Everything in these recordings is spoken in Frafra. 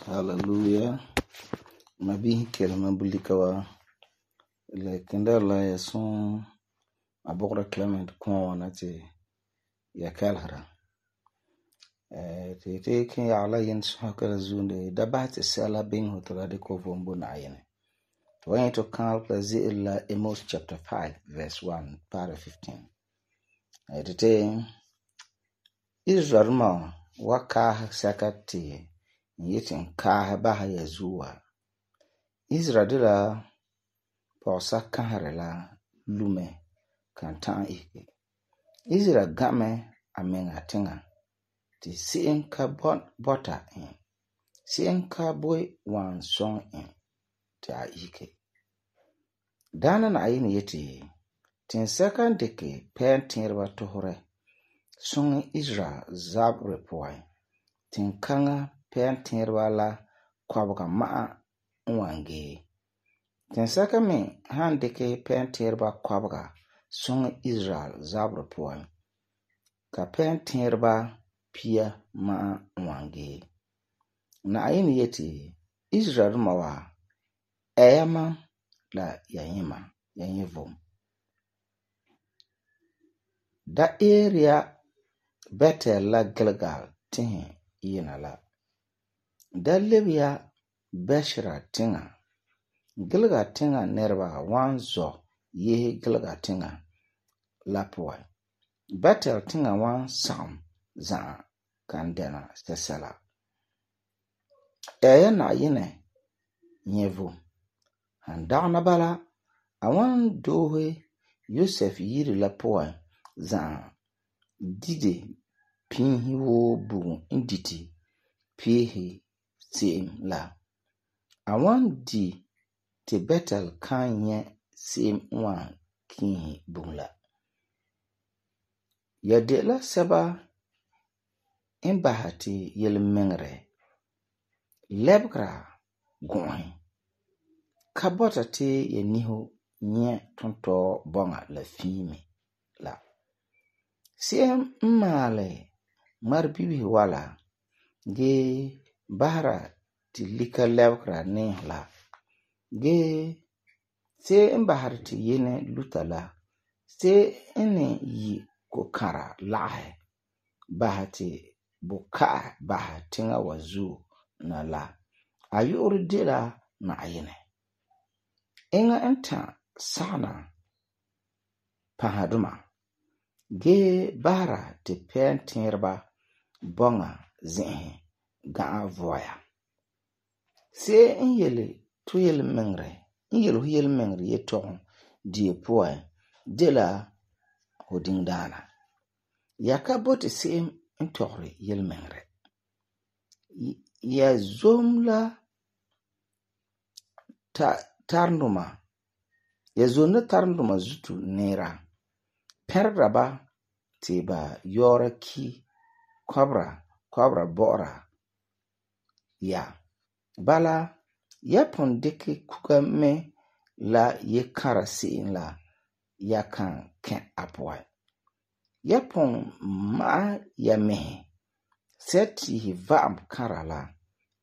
Hallelujah. Mabihi kelma bulika wa le kenda la ya son abogra Clement kɔɔna ti ya kalhara. Te ken ya la yin sokara zunde da ba ti sala bin hotela de ko vombo na ayene. To wan to kan la ze'el la Amos chapter 5 verse 1 para 15. Te Israel ma waka sakati yitin ka ba ya zuwa. Israel de la pɔgɔsa kahare la lume kan ta'an ike. Israel game a menga tenga ti se'em ka bɔta en. Se'em ka boi wan sɔŋ en ti a ike. Daana na ayine yeti tinsɛka n dike pɛn tẽereba tɔhɔrɛ sɔŋɛ Israel zaberɛ puan. Tinkaŋa pɛn tẽereba la kɔbega ma'a n wan gee. Tinsɛka me han dike pɛn tẽereba kɔbega sɔŋɛ Israel zaberɛ puan. Ka pɛn tẽereba pia ma'a n wan gee. Na ayine yeti Israel ma wa ɛyama la yanyima yanye vom. Da area Bethel la Gilgal tihi yina la. Da lebya Beshra tinga. Gilgal tinga nerba wan zɔ yehe Gilgal tinga la puan. Bethel tinga wan sagum za'a kan dɛna sɛsɛla. Ɛya na ayine nye vom. Han dagena bala a wan doohe Yosef yiri la puan za'a dide pinhi woo bugum n diti peehe se'em la. A wan di ti Bethel kan nye se'em wan kihi bugum la. Ya de la sɛba n baha ti yelmengere lebgra gɔ'ɔhe. Ka bɔta ti ya niho nye tontɔɔ bɔŋa la fiime la. Se'em n maale ŋmarebibihi wala gee bahara ti lika lebgra neehe la. Gee se'em n bahara ti yene luta la. Se'em ne yi kokara lagahɛ baha ti buka'a baha tiŋa wa zuo na la. A yu'urɛ de la na ayine. Eŋa n ta sagena pahaduma gee bahara ti pɛn tẽereba bɔŋa zi'ihɛ ga'a voya. Se'em n yele hu yelmengere yetɔgum die puan de la hu diŋdaana. Ya ka boti se'em n tɔgeri yelmengere. Ya zom la tarenduma zutu neera. Pɛrera ba ti ba yɔɔra ki kɔbra bɔ'ɔra ya. Bala ya pun dike kuga me la ye kara se'em la ya kan kɛ a puan. Ya pun ma'a ya mehe sɛtihi va'am kara la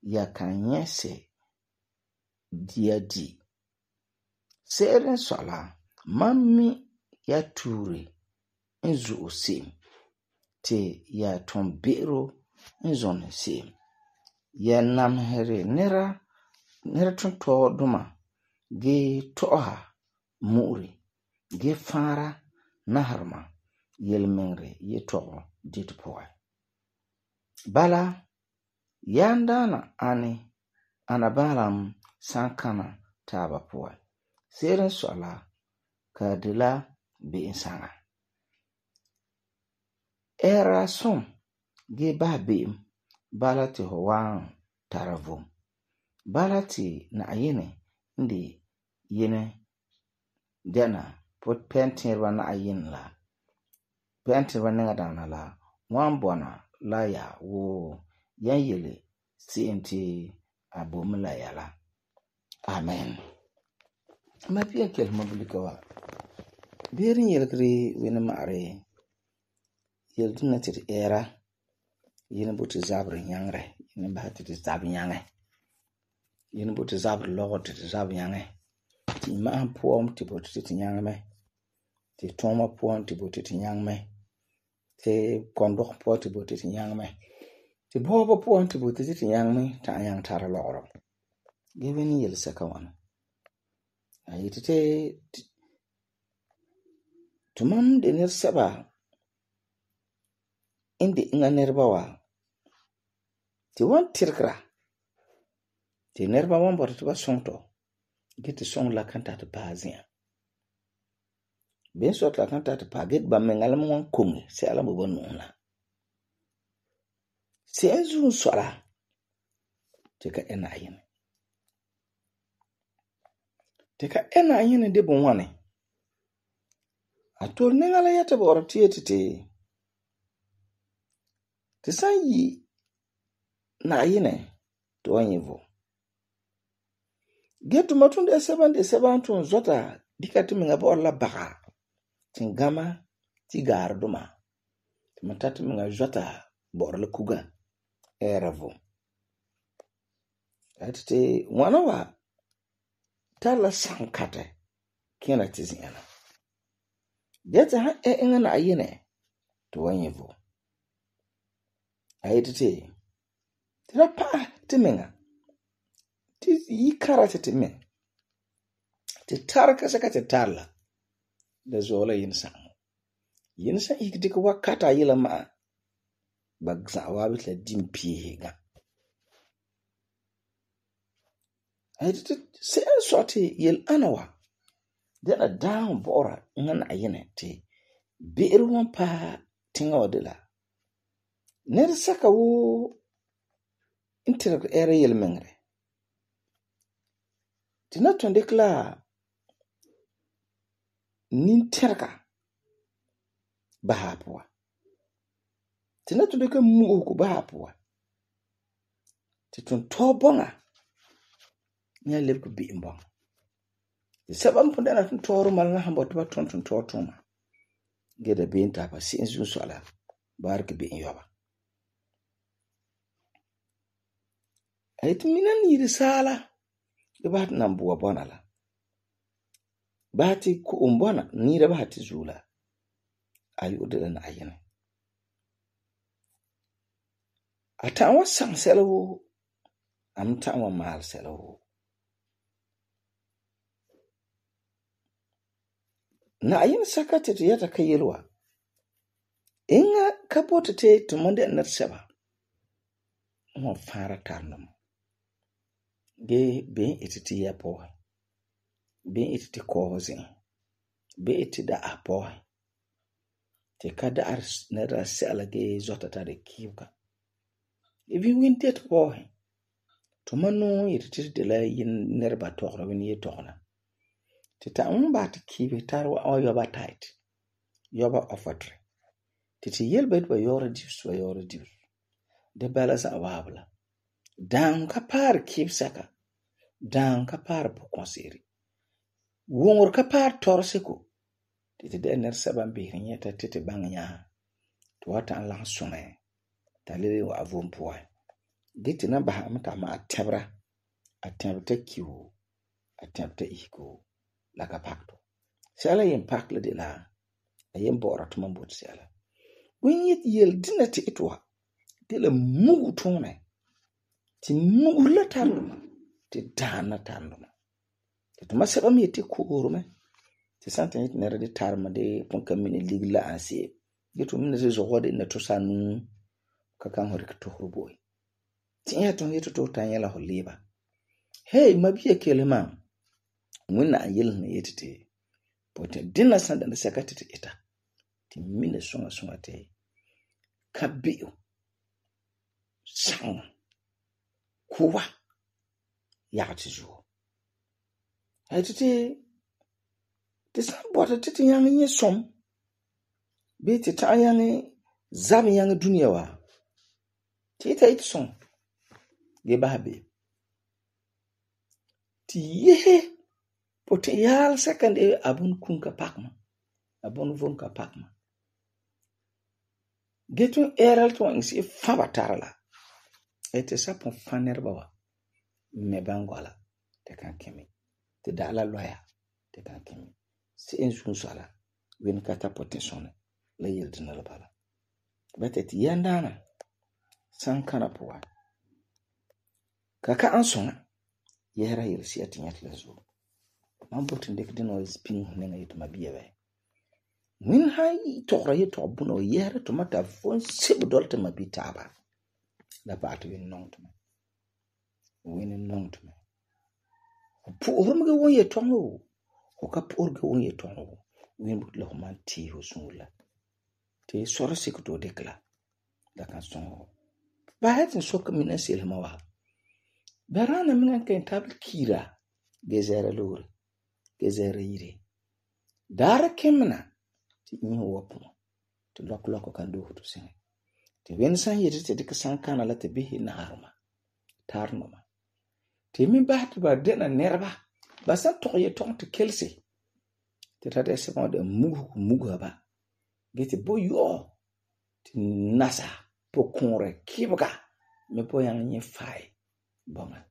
ya kan nyɛse dia di. Se'ere n sɔi la mam mi ya tuure n zu'u se'em ti ya tun be'ero n zɔnɛ se'em. ya namhere nera tontɔɔdoma ge to'oha mu'uri ge faara naharema yelmengere yetɔgɔ dite puan. Bala yan daana ana baalam sankana taaba puan. Se'ere n sɔi la ka de la be'em saŋa. Ɛɛra som ge baha be'em bala ti hu wan tara vom. Bala ti Na'ayinɛ n de yene dɛna pɛntiireba Na'ayinɛ la pɛntiireba nɛŋadaana la wan bɔna la ya woo yan yele se'em ti a bo mɛ la ya la. Amen. Ma pian kelma bulika wa. Beere yelgere wene ma'are yeldina ti ɛɛra yene boti zabere nyaŋere yene baha ti zabe nyaŋɛ. Yene boti zabere lɔgɔ ti zabe nyaŋɛ. Ti ma'ahum puan ti boti ti nyaŋɛ mɛ. Ti tuuma puan ti boti ti nyaŋɛ mɛ. Ti kɔndɔg puan ti boti ti nyaŋɛ mɛ. Ti bɔɔbɔ puan ti boti ti nyaŋɛ mɛ ta'am nyaŋɛ tara lɔgɔrɔ. Ge wene yelsɛka ŋwana. Ayeti ti tumam de nɛresɛba n de inga nɛreba wa ti wan tirigera ti nɛreba wan bɔta ti ba sɔŋ tɔ ge ti sɔŋ la kan ta ti paɛ zi'an. Ben sɔt la kan ta ti paɛ ge ba menga la wan koŋe sɛla bo ba nu'uhen la. Se'em zuun sɔla ti ka ɛ Na'ayinɛ. Ti ka ɛ Na'ayinɛ de bon wane? A tole nɛŋa la yɛta bɔ'ɔra ti yeti ti san yi Na'ayinɛ ti wan nyɛ vom. Ge tuma tun de sɛba n tun zɔta dika ti menga bɔ'ɔra la baga tingama ti gaareduma. Ti man ta ti menga zɔta bɔ'ɔra la kuga ɛɛra vom. Ayeti ti ŋwana wa tar la sankatɛ kena ti zi'an la. Ge ti han ɛ inga Na'ayinɛ ti wan nyɛ vom. Ayeti ti da paɛ ti menga ti yi kara ti men ti tar kasɛka ti tar la da zɔɔ la yensan. Yensan ik dikɛ wakata yela ma'a ba za'a waabi ti la dim piihe ga. Ayeti ti se'em sɔ ti yel ana wa dɛna daam bɔ'ɔra inga Na'ayinɛ ti be'ere wan paɛ tiŋa wa de la nɛresɛka woo n tirigɛ ɛɛra yelmengere ti na tun dikɛ la nintɛrega baha puan. Ti na tun dikɛ mu'uhego baha puan. Ti tun tɔɔ bɔŋa nya lebege be'em bɔŋa. Ti sɛba n pun dɛna tun tɔɔrɔ mala na han bɔta ba tun tɔɔ tuma. Ge da be'em ta ba se'em zuun sɔi la ba rike be'em yɔba. Ayeti mina n yiri saala ge baha ti nan bua bɔna la. Baha ti ko'om bɔna niira baha ti zuo la. Ayo de la Na'ayinɛ. A ta'am wa saŋ sɛla woo. Am ta'am wa maal sɛla woo. Na'ayinɛ saka ti yɛta ka yele wa. Inga ka boti ti tumam de nɛresɛba n wan faara tarumdom. Ge ben iti ti ya pɔɔhe. Ben iti ti kɔɔhe zi'an. Ben iti da'a pɔɔhe. Ti ka da'ar nɛra sɛla ge zɔta tari kiibega. Even winte ti pɔɔhe. Tuma nuu yeti ti de la nɛreba tɔgera wini ye tɔgena. Ti ta'am ba ti kiibe tar wa yɔba tight. Yɔba offertory. Ti yel ba ba yɔra dius. De bala za'a waabi la. Daam ka paari kiibsɛka. Daam ka paari pukɔnse'ere. Wuŋor ka paari tɔreseko. Ti de nɛresɛba n beheri nyɛta ti baŋɛ nyaa. Ti wa ta'am laŋɛ suŋɛ. Ta lebe wa vom puan. Ge ti na baha am ta ma a tɛbra. A tɛbta kiwo. A tɛbta ihiko. La ka pakto. Sɛla yen pak la de la a yen bɔ'ɔra tuma boti sɛla. Wen yet yel dina ti ito wa de la mugu tuunɛ Ti nu'uhe la tarendoma ti daana tarendoma. Ti tuma sɛba me yeti kooro me. Ti santa yeti nera de tarema de pon ka mini ligiri la ansie. Gitu mina te zogwa de na to sanu ka kan hori ka tohru boi. Ti ya ton yeto to tan yela ho leba. Hey, mabiya kelema. Wina an yel na yeti te. Pote dinna sanda na seka te ita. Ti mina songa te. Kabio. Sang. Kuwa. Yagati zuo. Hai te san bota te yang nye som. Be te ta yang zam yang dunia wa. Te ita iti som. Ge bahabe. Ti yehe. Pote yal second abun kunka pakma. Abun vunka pakma. Getun eral to insi fabatarala. Ete sapon fanerba wa. Mebangola. Te kan kemi. Te dala loya. Te kan kemi. Si ensun sala. Wen kata pote sone. La yel dinala bala. Bete ti yandana. Sankana puwa. Kaka ansona. Yehra yel siya tinyat la zo. Mambotin dek dino is ping nenga yitu mabiya we. Min hai tokra ye tokbuna o yehra to mata fon sebu dolte mabitaba. La paatu win nong to me. Win nong to me. Pu'urumge won ye tongo. Hoka pu'urge won ye tongo. Win but lo man ti ho sungula. Te sora sikuto dekla. Da kan songo. Ba hatin soka mina silma wa. Barana mina kan tabl kira. Gezera lori. Gezera yiri. Dara kemna. Ti inyo wapu. Ti loko kan do to singe. Ti wensan yiri te dika sankana la te bihi na harma. Tarnoma. Ti min bahti ba dena nerba. Basan toye tong te kelsi. Ti tate sepon de mugu ba. Geti bo yo. Ti nasa. Po konre kibga. Me po yang nye fai. Bonga.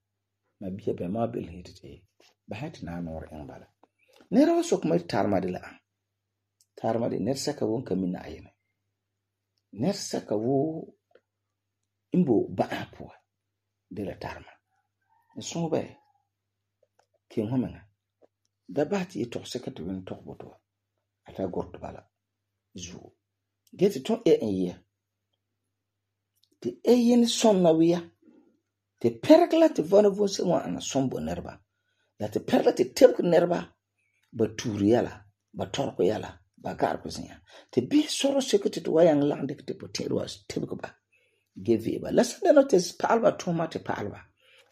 Ma biya be ma bil hiti te. Bahati na nor yang bala. Nera wa sok mai tarma de la an. Tarma de ner saka won kamina ayene. Ner saka wo imbo ba apwa de la tarma. Nson be. King homenga. Da bahati ye tok saka te wen tok boto. Ata gordo bala. Zu. Geti ton ye. Te yen son na wiya. Te perkla te vona vonse wa ana sombo nerba. La te perkla te tebk nerba. Ba turi yala. Ba torko yala. Ba garko zinya. Te bi soro sekete te wayang lang dek te potero as tebk ba. Give ba. La sanda no te palba toma te palba.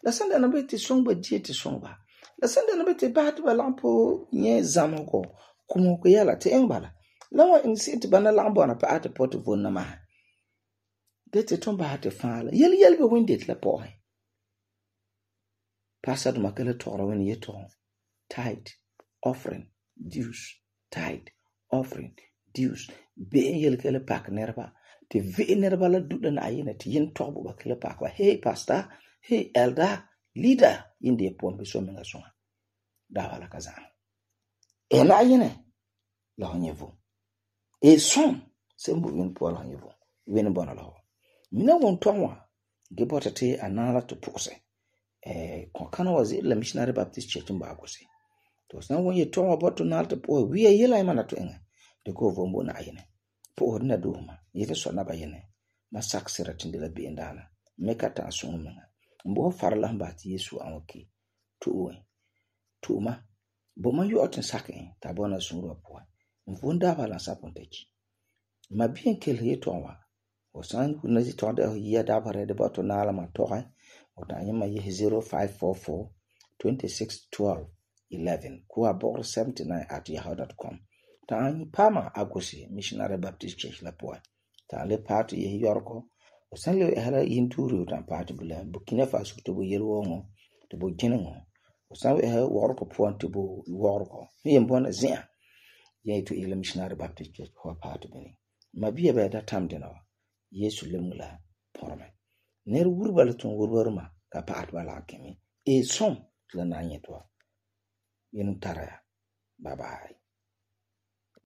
La sanda no be te songba die te songba. La sanda no be te bahati ba lampo nye zamoko. Kumoko yala te engbala. La wa insi te bana lambo na pa ate pote vonna ma. Gete ton bahati fala. Yel be windet la pohe. Pasad makele toro wen ye ton. Tithe, offering, dues, tithe, offering, dues. Be yel kele pak nerba. Te ve nerba la duda na ayene te yen tobo ba kele pak wa. Hey pastor, hey elder, leader. Indi pon be so menga songa. Da wala kazan. E na ayene la honyevo. E son sembu wen po la honyevo. Wen bona la ho. Mina won tonwa gebota te anala to pose. Konkana wazi la Missionary Baptist Church mbagose. To san won ye tonwa boto nalta po wi yela imana to enga. De ko vombo na ayene. Po na duma. Yete so na bayene. Ma saksira tindela be ndana. Mekata asunu menga. Mbo farla mbati Yesu anwoki. Tuuma. Bo man yu otin sakin tabona sunro po. Mvunda bala sapontechi. Ma bien kel ye tonwa. Osan kuna zi tonde ya dabare de boto na ala ma toha. Ota nyama ye 0544 2612 11 kuwa bor 79@yahoo.com. Ta anyi pama agosi Missionary Baptist Church la poa. Ta le party ye yorko. Osan le hala yinturu tan party bula Burkina Faso to bo yelwongo to bo jinengo. Osan we worko poa to bo worko. Ye mbona zia. Ye to ile Missionary Baptist Church ho party bini. Mabiya be da tamde no. Yesu lemula porme. Ner wurbala tun wurwarma ka paat bala kemi. E som la na nyetwa. Yenu taraya. Bye bye.